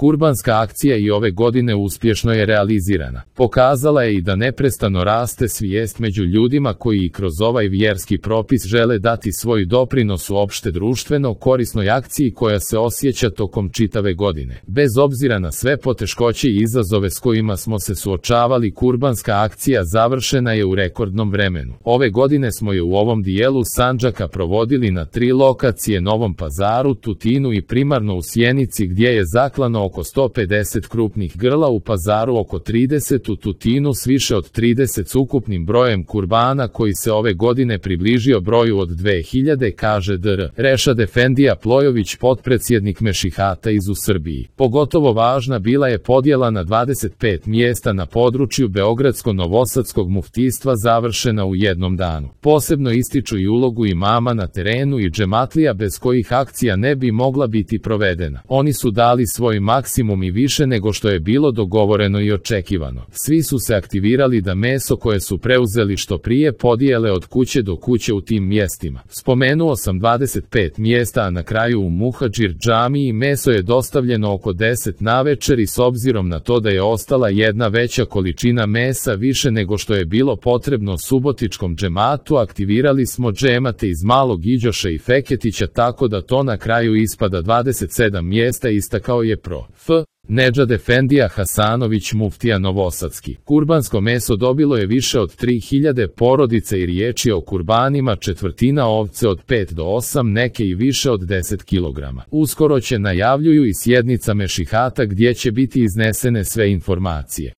Kurbanska akcija i ove godine uspješno je realizirana. Pokazala je i da neprestano raste svijest među ljudima koji i kroz ovaj vjerski propis žele dati svoj doprinos u opšte društveno korisnoj akciji koja se osjeća tokom čitave godine. Bez obzira na sve poteškoće i izazove s kojima smo se suočavali, kurbanska akcija završena je u rekordnom vremenu. Ove godine smo je u ovom dijelu Sandžaka provodili na 3 lokacije: Novom Pazaru, Tutinu i primarno u Sjenici, gdje je zaklano oko 150 krupnih grla, u Pazaru oko 30, u Tutinu s više od 30 s ukupnim brojem kurbana koji se ove godine približio broju od 2000, kaže dr. Rešad Efendija Plojović, potpredsjednik Mešihata iz u Srbiji. Pogotovo važna bila je podjela na 25 mjesta na području Beogradsko-Novosadskog muftistva završena u jednom danu. Posebno ističu i ulogu imama na terenu i džematlija bez kojih akcija ne bi mogla biti provedena. Oni su dali svoj maksimum i više nego što je bilo dogovoreno i očekivano. Svi su se aktivirali da meso koje su preuzeli što prije podijele od kuće do kuće u tim mjestima. Spomenuo sam 25 mjesta, a na kraju u Muhadžir džamiji meso je dostavljeno oko 10 navečer i s obzirom na to da je ostala jedna veća količina mesa više nego što je bilo potrebno subotičkom džematu, aktivirali smo džemate iz Malog Iđoša i Feketića, tako da to na kraju ispada 27 mjesta, istakao je prof. Nedžad Efendija Hasanović, muftija Novosadski. Kurbansko meso dobilo je više od 3000 porodica i riječ je o kurbanima: četvrtina ovce od 5 do 8, neke i više od 10 kg. Uskoro će, najavljuju, i sjednica Mešihata gdje će biti iznesene sve informacije.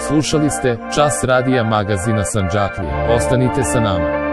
Slušali ste Čas radija magazina Sandžaklija. Ostanite sa nama.